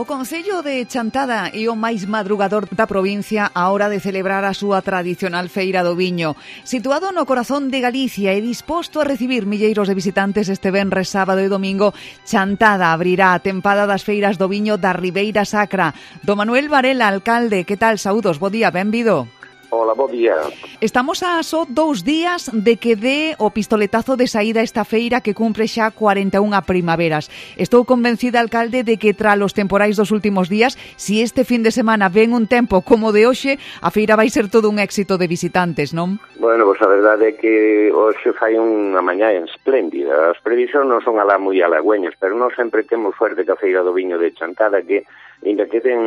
O Concello de Chantada é o máis madrugador da provincia á hora de celebrar a súa tradicional Feira do Viño. Situado no corazón de Galicia e disposto a recibir milleiros de visitantes este venres, sábado e domingo, Chantada abrirá a tempada das feiras do viño da Ribeira Sacra. Do Manuel Varela, alcalde, que tal? Saúdos, bo día, benvido. Hola, bo día. Estamos a só 2 días de que dé o pistoletazo de saída esta feira que cumpre xa 41 primaveras. Estou convencida, alcalde, de que tras os temporais dos últimos días, si este fin de semana ven un tempo como de hoxe, a feira vai ser todo un éxito de visitantes, non? Bueno, pois a verdade é que hoxe fai unha mañá espléndida. As previsións non son alá moi halagüeñas, pero non sempre temos suerte que a Feira do Viño de Chantada, que ainda que ten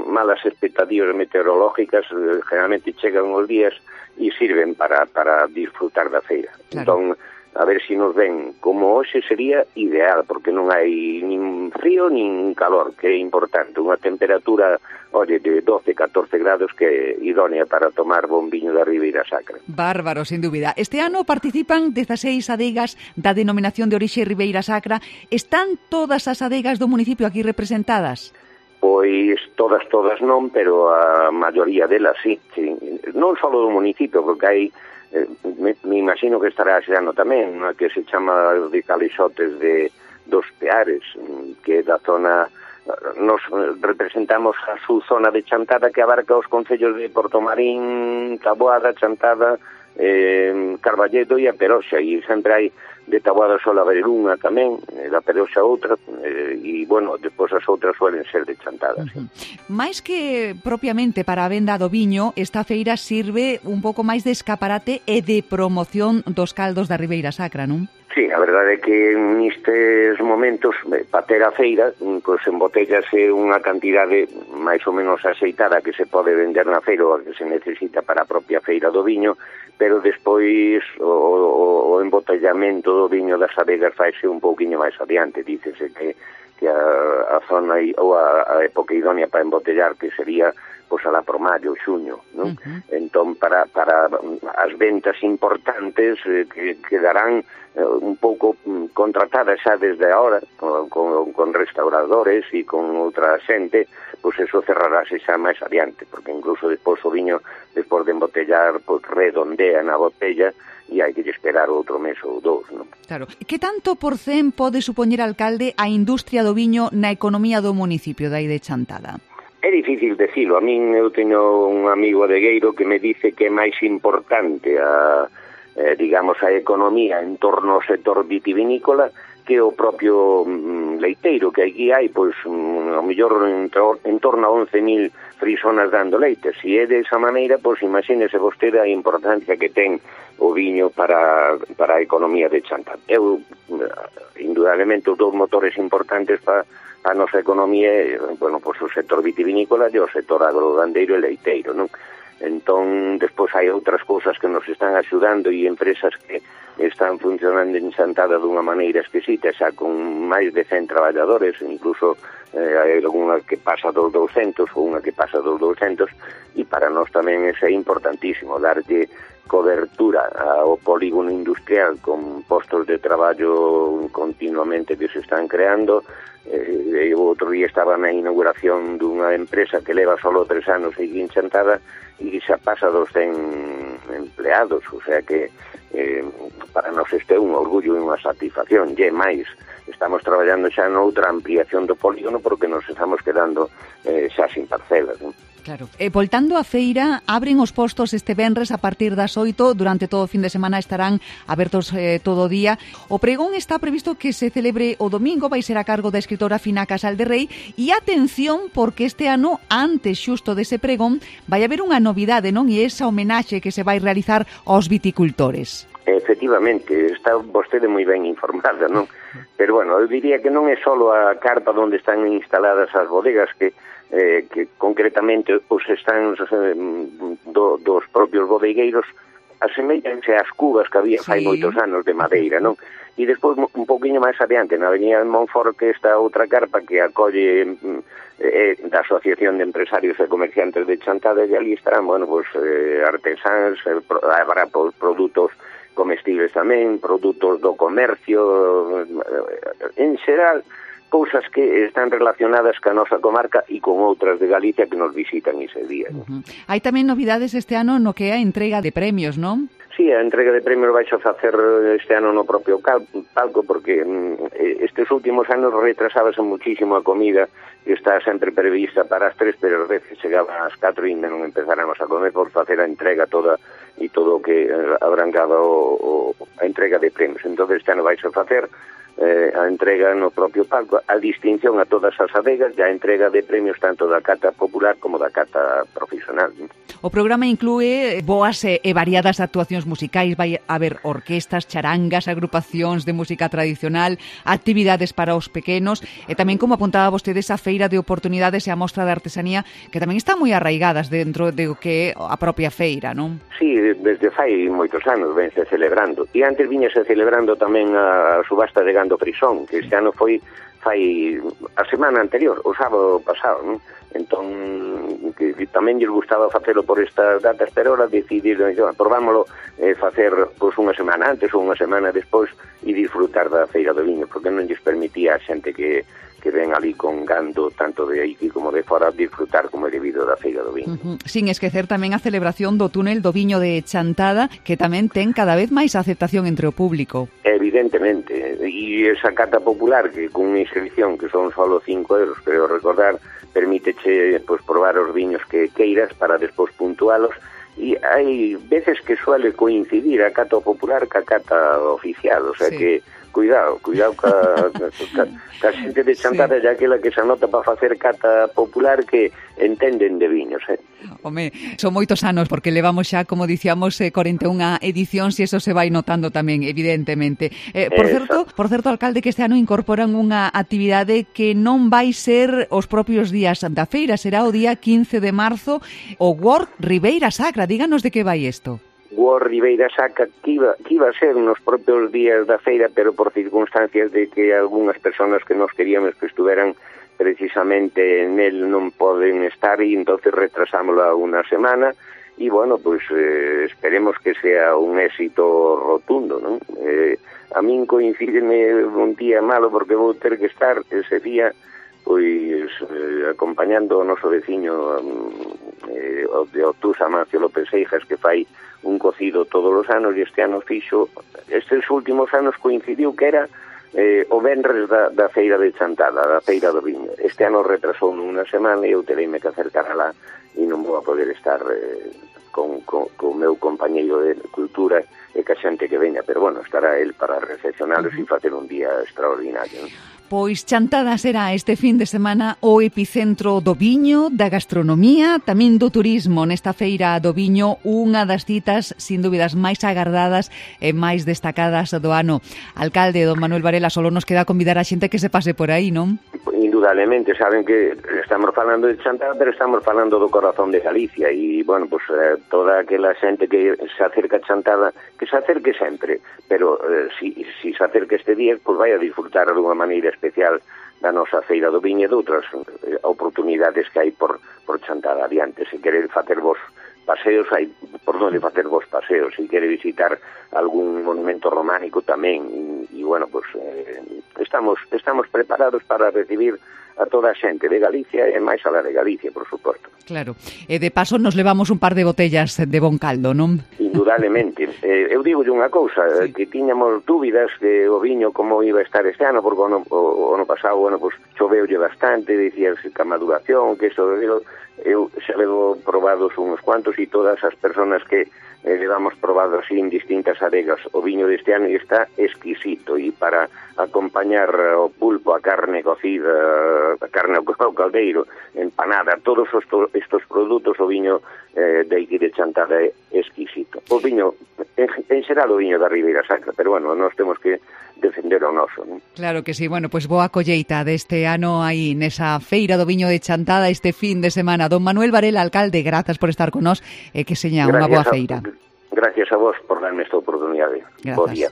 malas expectativas meteorológicas, generalmente chegan os días e sirven para disfrutar da feira. Claro. Entón, a ver se nos ven como hoxe sería ideal, porque non hai nin frío nin calor, que é importante. Unha temperatura, oye, de 12-14 grados que é idónea para tomar bon viño da Ribeira Sacra. Bárbaro, sin dúbida. Este ano participan 16 adegas da denominación de orixe Ribeira Sacra. Están todas as adegas do municipio aquí representadas? Pois todas non, pero a maioría delas sí. Non só do municipio, porque hai, me imagino que estará ese ano tamén, unha que se chama de Calixotes dos Peares, que é da zona, nos representamos a súa zona de Chantada, que abarca os concellos de Portomarín, Taboada, Chantada, Carballedo e a Peroxa, e sempre hai de Taboada sola haber unha tamén, da Peroxa outra, e, bueno, depois as outras suelen ser de Chantada. Sí. Mais que propiamente para a venda do viño, esta feira sirve un pouco máis de escaparate e de promoción dos caldos da Ribeira Sacra, non? Sí, a verdade é que nestes momentos, para ter a feira, pois embotellase unha cantidade máis ou menos aceitada que se pode vender na feira ou que se necesita para a propia feira do viño, pero despois o embotellamento do viño das adegas faise un pouquiño máis adiante. Dícese que a zona ou a época idónea para embotellar, que sería pois alá por maio, xuño, non? Entón, para as ventas importantes que quedarán un pouco contratadas xa desde agora con restauradores e con outra xente, pois eso cerrarase xa máis adiante, porque incluso despois o viño, despois de embotellar, pois redondea na botella e hai que esperar outro mes ou dous, non? Claro. Que tanto por cen pode supoñer, alcalde, a industria do viño na economía do municipio de aí de Chantada? É difícil decirlo. A min eu teño un amigo adegueiro que me dice que é máis importante digamos, a economía en torno ao sector vitivinícola que o propio leiteiro, que aquí hai, pois, ao mellor en torno a 11.000 frisonas dando leite. Se é desa maneira, pois, imagínese vostede a importancia que ten o viño para a economía de Chantada. Indudablemente, os dous motores importantes para a nosa economía, bueno, pois o sector vitivinícola e o sector agrogandeiro e leiteiro, non? Entón, despois hai outras cousas que nos están axudando e empresas que están funcionando en Chantada dunha maneira exquisita, xa con máis de 100 traballadores, incluso hai algunha que pasa dos 200 ou unha que pasa dos 200, e para nós tamén é importantísimo darlle cobertura ao polígono industrial con postos de traballo continuamente que se están creando. O outro día estaba na inauguración dunha empresa que leva solo 3 anos aquí en Chantada e xa pasa dos 100 empleados, o sea que para nós este é un orgullo e unha satisfacción. E máis, estamos traballando xa noutra ampliación do polígono porque nos estamos quedando xa sin parcelas, non? Claro. Voltando á feira, abren os postos este venres a partir das 8, durante todo o fin de semana estarán abertos todo o día. O pregón está previsto que se celebre o domingo, vai ser a cargo da escritora Fina Casal de Rei, e atención, porque este ano, antes xusto dese pregón, vai haber unha novidade, non? E esa homenaxe que se vai realizar aos viticultores. Efectivamente, está vostede moi ben informada, non? Pero, bueno, eu diría que non é só a carpa onde están instaladas as bodegas, que concretamente os stands dos propios bodegueiros aseméllanse ás cubas que había fai moitos anos de madeira, non? E despois, un poquinho máis adiante, na avenida de Monfort, que está outra carpa que acolle da Asociación de Empresarios e Comerciantes de Chantada, e ali estarán, bueno, pues, artesáns, habrá produtos comestibles tamén, produtos do comercio, en xeral, cousas que están relacionadas ca nosa comarca e con outras de Galicia que nos visitan ese día. Hai tamén novidades este ano no que é a entrega de premios, non? Sí, a entrega de premios vais a facer este ano no propio palco, porque estes últimos anos retrasábase muchísimo a comida, que está sempre prevista para as 3, pero a veces chegaban ás 4 e ainda non empezáramos a comer por facer a entrega toda e todo o que abrangaba a entrega de premios. Entón este ano vais a facer a entrega no propio palco, a distinción a todas as adegas e a entrega de premios tanto da cata popular como da cata profesional. O programa inclúe boas e variadas actuacións musicais, vai haber orquestas, charangas, agrupacións de música tradicional, actividades para os pequenos e tamén, como apuntaba vostede, esa feira de oportunidades e a mostra de artesanía que tamén están moi arraigadas dentro de o que é a propia feira, non? Sí, desde fai moitos anos vense celebrando. E antes viñase celebrando tamén a subasta de gando frisón, que este ano fai a semana anterior, o sábado pasado, non? Entón, que tamén lles gustaba facelo por estas datas, pero ahora decidiron, probámoslo facer unha semana antes ou unha semana despois e disfrutar da Feira do Viño, porque non lles permitía a xente que ven ali con gando, tanto de aquí como de fora, disfrutar como é debido da Feira do Viño. Sin esquecer tamén a celebración do túnel do Viño de Chantada, que tamén ten cada vez máis aceptación entre o público. Evidentemente, e esa cata popular que con unha inscripción que son solo 5 euros, pero recordar, permíteche probar os viños que queiras para despois puntualos, e hai veces que suele coincidir a cata popular ca cata oficial, o sea sí. Que cuidado ca xente de Chantada, xa aquela que se anota para facer cata popular que entenden de viños, Home, son moitos anos, porque levamos xa, como dicíamos, 41 edicións e eso se vai notando tamén, evidentemente. Por certo, alcalde, que este ano incorporan unha actividade que non vai ser os propios días da feira, será o día 15 de marzo, o Work Ribeira Sacra. Díganos de que vai isto. Work Ribeira Sacra que iba a ser nos propios días da feira, pero por circunstancias de que algunhas personas que nos queríamos que estuveran precisamente nel non poden estar e entonces retrasámosla unha semana e bueno, pues esperemos que sea un éxito rotundo, non? A min coincideme un día malo porque vou ter que estar ese día pois acompañando o noso veciño de Obtús, Amancio López Seijas, que fai un cocido todos os anos e este ano fixo, estes últimos anos coincidiu que era o venres da Feira de Chantada, da Feira do Viño. Este ano retrasou unha semana e eu tereime que acercar alá e non vou a poder estar con o meu compañeiro de cultura e ca xente que veña, pero bueno, estará el para recepcionalos e facer un día extraordinario, non? Pois Chantada será este fin de semana o epicentro do viño, da gastronomía, tamén do turismo. Nesta Feira do Viño, unha das citas, sin dúbidas, máis agardadas e máis destacadas do ano. Alcalde, don Manuel Varela, solo nos queda convidar a xente que se pase por aí, non? Indudablemente, saben que estamos falando de Chantada, pero estamos falando do corazón de Galicia e, bueno, pues toda aquela xente que se acerca a Chantada, que se acerque sempre, pero si se acerca este día, pues vai a disfrutar de unha maneira especial da nosa Feira do Viño e de outras oportunidades que hai por Chantada adiante. Se quere facer vos paseos, hai por onde facer vos paseos, se quere visitar algún monumento románico tamén e bueno, pues estamos preparados para recibir a toda a xente de Galicia e máis a la de Galicia, por suposto. Claro, e de paso nos levamos un par de botellas de bon caldo, non? Indudablemente. Eu digo unha cousa, sí. Que tiñamos dúbidas de o viño como iba a estar este ano, porque o ano pasado, bueno, pues choveulle bastante, dicíase que a maduración, que eso, eu xa levo probados uns cuantos e todas as personas que levamos probado así en distintas adegas o viño deste ano e está exquisito e para acompañar o pulpo, a carne cocida, a carne ao caldeiro, empanada, todos estos produtos, o viño de aquí de Chantada é exquisito. O viño, en xeral o viño da Ribeira Sacra, pero bueno, nós temos que defender o noso, non? Claro que sí, bueno, pues boa colleita deste ano aí nesa Feira do Viño de Chantada este fin de semana. Don Manuel Varela, alcalde, grazas por estar con nós e que seña unha boa feira. Gracias a vos por darme esta oportunidade. Gracias. Bo día.